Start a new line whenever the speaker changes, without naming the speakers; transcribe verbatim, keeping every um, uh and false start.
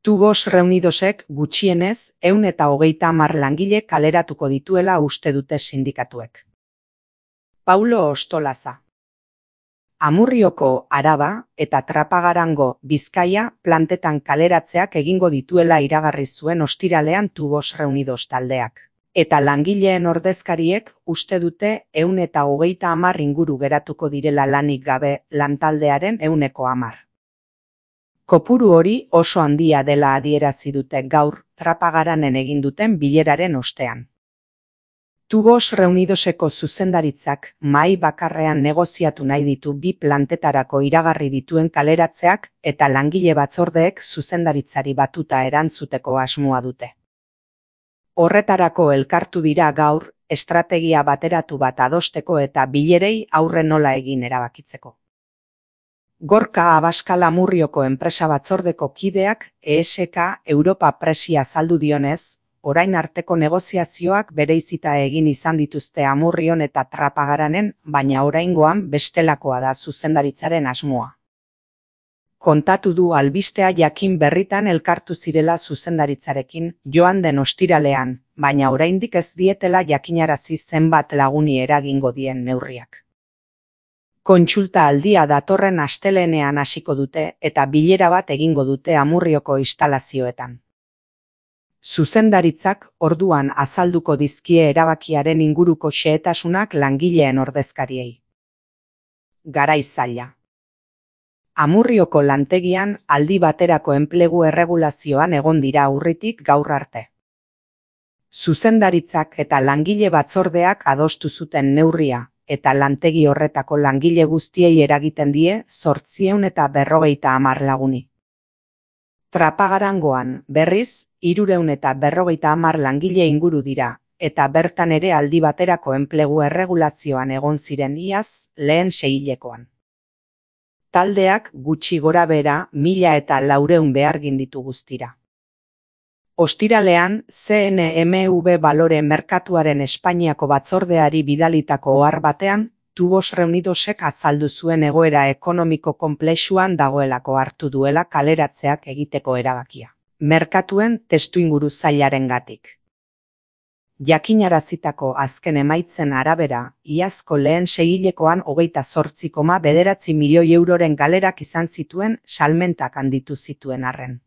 Tubos Reunidosek gutxienez ehun eta hogeita hamar langile kaleratuko dituela uste dute sindikatuek. Paulo Ostolaza. Amurrioko Araba eta Trapagarango Bizkaia plantetan kaleratzeak egingo dituela iragarri zuen ostiralean Tubos Reunidos taldeak. Eta langileen ordezkariek uste dute ehun eta hogeita hamar inguru geratuko direla lanik gabe lantaldearen ehuneko hamar. Kopuru hori oso handia dela adierazi dute gaur Trapagaranen egin duten bileraren ostean. Tubos Reunidoseko zuzendaritzak mahai bakarrean negoziatu nahi ditu bi plantetarako iragarri dituen kaleratzeak eta langile batzordeek zuzendaritzari batuta erantzuteko asmoa dute. Horretarako elkartu dira gaur, estrategia bateratu bat adosteko eta bilerei aurre nola egin erabakitzeko. Gorka Abaskal Amurrioko enpresa batzordeko kideak E S K Europa Presi azaldu dionez, orain arteko negoziazioak bereizita egin izan dituzte Amurrion eta Trapagaranen, baina oraingoan bestelakoa da zuzendaritzaren asmoa. Kontatu du albistea jakin berritan elkartu zirela zuzendaritzarekin joan den ostiralean, baina oraindik ez dietela jakinarazi zenbat laguni eragingo dien neurriak. Kontsulta aldia datorren astelehenean hasiko dute eta bilera bat egingo dute Amurrioko instalazioetan. Zuzendaritzak orduan azalduko dizkie erabakiaren inguruko xehetasunak langileen ordezkariei. Garai zaila. Amurrioko lantegian aldi baterako enplegu erregulazioan egon dira urritik gaur arte. Zuzendaritzak eta langile batzordeak adostu zuten neurria, eta lantegi horretako langile guztiei eragiten die zortziehun eta berrogeita hamar laguni. Trapagarangoan, berriz, hirurehun eta berrogeita hamar langile inguru dira, eta bertan ere aldi baterako enplegu erregulazioan egon ziren iaz lehen seihilekoan. Taldeak gutxi gorabehera mila eta laurehun behargin ditu guztira. Ostiralean, C N M V Balore merkatuaren Espainiako batzordeari bidalitako ohar batean, Tubos Reunidosek azaldu zuen egoera ekonomiko konplexuan dagoelako hartu duela kaleratzeak egiteko erabakia. Merkatuen testuinguru zailarengatik. Jakinarazitako azken emaitzen arabera, iazko lehen seihilekoan hogeita zortzi koma bederatzi milioi euroren galerak izan zituen salmentak handitu zituen arren.